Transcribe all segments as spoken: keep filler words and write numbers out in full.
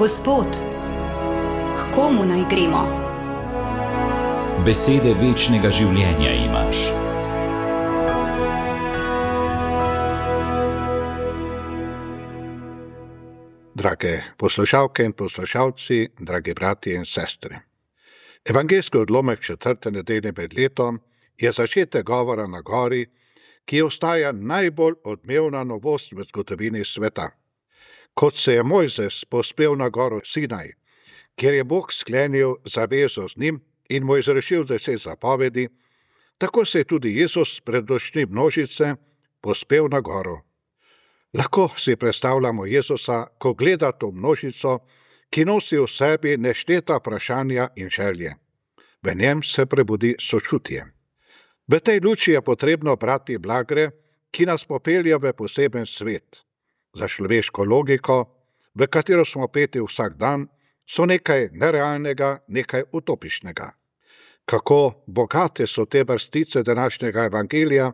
Gospod, k komu naj gremo? Besede večnega življenja imaš. Drage poslušalke in poslušalci, dragi bratje in sestre. Evangeljski odlomek četrte nedelje med letom je začetek govora na gori, ki ostaja najbolj odmevna novost v zgodovini sveta. Kot se je Mojzes povzpel na goro Sinaj, kjer je Bog sklenil zavezo z njim in mu izrešil deset zapovedi, tako se je tudi Jezus pred očmi množice povzpel na goro. Lahko si predstavljamo Jezusa, ko gleda to množico, ki nosi v sebi nešteta vprašanja in želje. V njem se prebudi sočutje. V tej luči je potrebno brati blagre, ki nas popelje v poseben svet. Za človeško logiko, v katero smo peti vsak dan, so nekaj nerealnega, nekaj utopičnega. Kako bogate so te vrstice današnjega evangelija,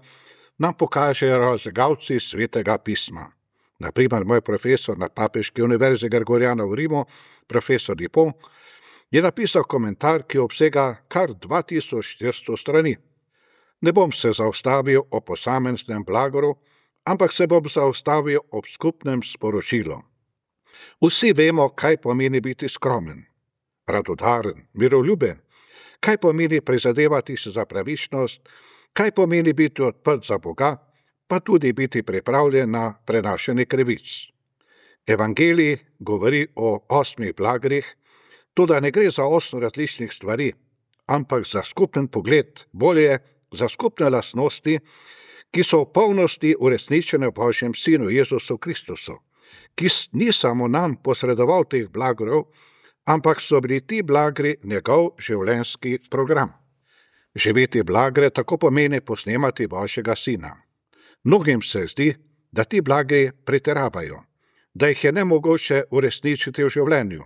nam pokažejo razgalci svetega pisma. Na primer, moj profesor na Papeški univerzi Gregoriana v Rimu, profesor Dupont, je napisal komentar, ki obsega kar dva tisoč štiristo strani. Ne bom se zaustavil o posameznem blagoru, ampak se bom zaustavil ob skupnem sporočilu. Vsi vemo, kaj pomeni biti skromen, radodaren, miroljuben, kaj pomeni prizadevati se za pravičnost, kaj pomeni biti odprt za Boga, pa tudi biti pripravljen na prenašanje krivic. Evangelij govori o osmih blagrih, toda ne gre za osem različnih stvari, ampak za skupen pogled, bolje za skupne lastnosti, ki so v polnosti uresničene v Božjem Sinu Jezusu Kristusu, ki ni samo nam posredoval teh blagrov, ampak so bili ti blagri njegov življenjski program. Živeti blagre tako pomeni posnemati Božjega Sina. Mnogim se zdi, da ti blagri pretiravajo, da jih je nemogoče uresničiti v življenju,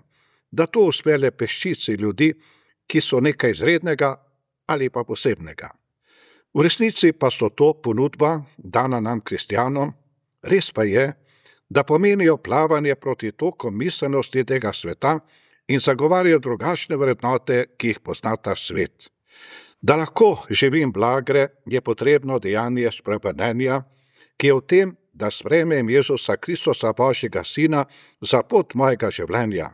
da to uspe le peščici ljudi, ki so nekaj izrednega ali pa posebnega. V resnici pa so to ponudba, dana nam kristjanom, res pa je, da pomenijo plavanje proti tokom miselnosti tega sveta in zagovarjajo drugačne vrednote, ki jih pozna ta svet. Da lahko živim blagre, je potrebno dejanje spremenjenja, ki je v tem, da sprejmem Jezusa Kristusa, Božjega Sina, za pot mojega življenja.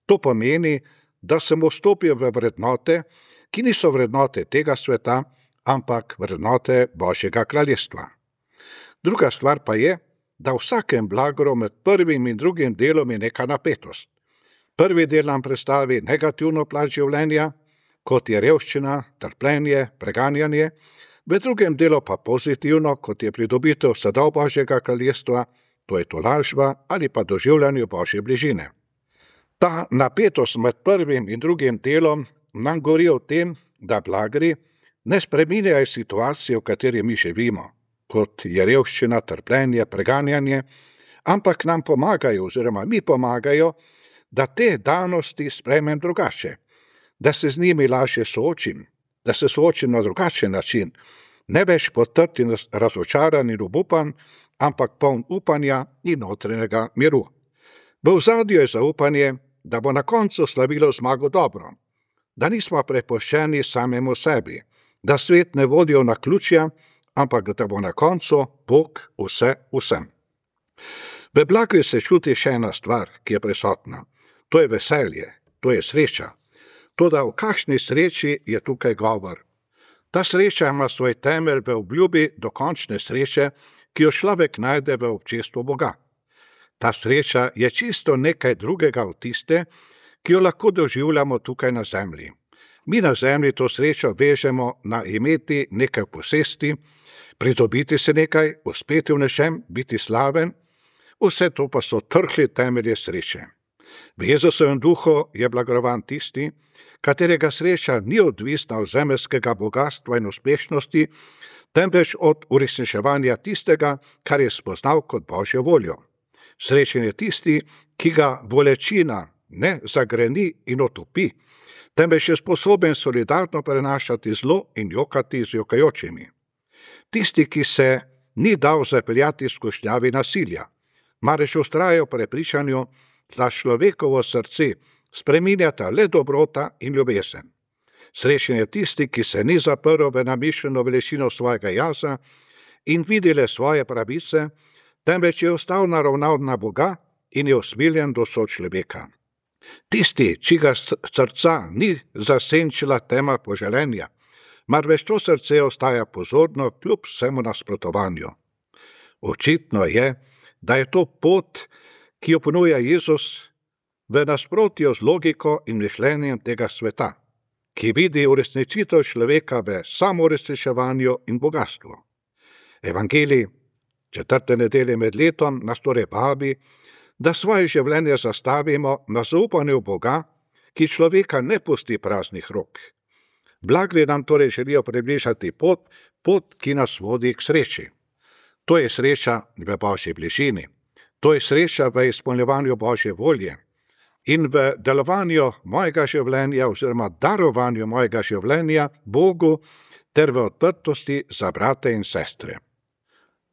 To pomeni, da sem vstopil v vrednote, ki niso vrednote tega sveta, ampak vrednote Božjega kraljestva. Druga stvar pa je, da v vsakem blagru med prvim in drugim delom je neka napetost. Prvi del nam predstavi negativno plat življenja, kot je revščina, trpljenje, preganjanje, v drugem delu pa pozitivno, kot je pridobitev sadov Božjega kraljestva, to je tolažba ali pa doživljanje Božje bližine. Ta napetost med prvim in drugim delom nam govori o tem, da blagri ne spreminjajo situacijo, v kateri mi živimo, kot je revščina, trpljenje, preganjanje, ampak nam pomagajo oziroma mi pomagajo, da te danosti sprejmem drugače, da se z njimi lažje soočim, da se soočim na drugačen način, ne več potrti in razočaran in obupan, ampak poln upanja in notranjega miru. V ozadju je zaupanje, da bo na koncu slavilo zmago dobro, da nismo prepuščeni samemu sebi, da svet ne vodijo na ključja, ampak da bo na koncu Bog vse vsem. V blagri se čuti še ena stvar, ki je prisotna. To je veselje, to je sreča. Toda o kakšni sreči je tukaj govor? Ta sreča ima svoj temelj v obljubi dokončne sreče, ki jo človek najde v občestvu Boga. Ta sreča je čisto nekaj drugega od tiste, ki jo lahko doživljamo tukaj na zemlji. Mi na zemlji to srečo vežemo na imeti nekaj posesti, pridobiti se nekaj, uspeti v nečem, biti slaven, vse to pa so trhli temelje sreče. V Jezusovem duhu je blagovan tisti, katerega sreča ni odvisna od zemeljskega bogatstva in uspešnosti, temveč od uresničevanja tistega, kar je spoznal kot Božjo voljo. Srečen je tisti, ki ga bolečina ne zagreni in otopi, temveč je sposoben solidarno prenašati zlo in jokati z jokajočimi. Tisti, ki se ni dal zapeljati skušnjavi nasilja, marveč vztraja v prepričanju, da človekovo srce spreminjata le dobrota in ljubezen. Srečen je tisti, ki se ni zaprl v namišljeno velečino svojega jaza in vidi le svoje pravice, temveč je ostal naravnan na Boga in je usmiljen do sočloveka. Tisti, čiga srca ni zasenčila tema poželenja, marveč to srce ostaja pozorno kljub vsemu nasprotovanju. Očitno je, da je to pot, ki jo ponuja Jezus, v nasprotju z logiko in mišljenjem tega sveta, ki vidi uresničitev človeka v samouresničevanju in bogatstvu. Evangelij četrte nedelje med letom nas torej vabi, da svoje življenje zastavimo na zaupanju Boga, ki človeka ne pusti praznih rok. Blagri nam torej želijo približati pot, pot, ki nas vodi k sreči. To je sreča v Božji bližini, to je sreča v izpolnjevanju Božje volje in v delovanju mojega življenja oziroma darovanju mojega življenja Bogu ter v odprtosti za brate in sestre.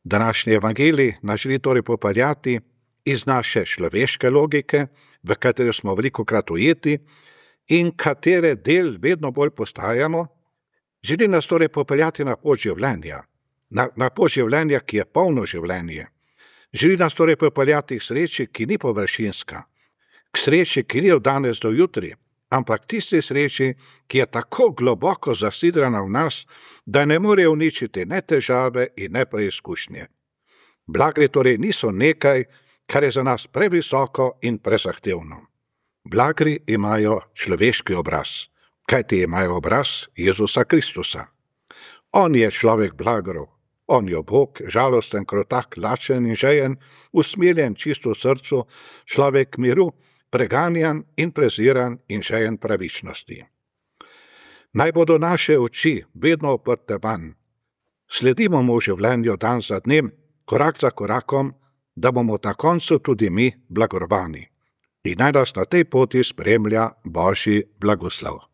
Današnji evangelij nas želi torej popeljati iz naše človeške logike, v katero smo velikokrat ujeti in katere del vedno bolj postajamo, želi nas torej popeljati na pot življenja, na, na pot življenja, ki je polno življenje. Želi nas torej popeljati k sreči, ki ni površinska, k sreči, ki ni od danes do jutri, ampak tisti sreči, ki je tako globoko zasidrana v nas, da ne more uničiti ne težave in ne preizkušnje. Blagri torej niso nekaj, kar je za nas previsoko in prezahtevno. Blagri imajo človeški obraz, kajti imajo obraz Jezusa Kristusa. On je človek blagrov, on je Bog, žalosten, krotak, lačen in žejen, usmiljen čisto v srcu, človek miru, preganjan in preziran in žejen pravičnosti. Naj bodo naše oči vedno oprte van. Sledimo mu v življenju dan za dnem, korak za korakom, da bomo na koncu tudi mi blagorovani. In naj nas na tej poti spremlja Božji blagoslov.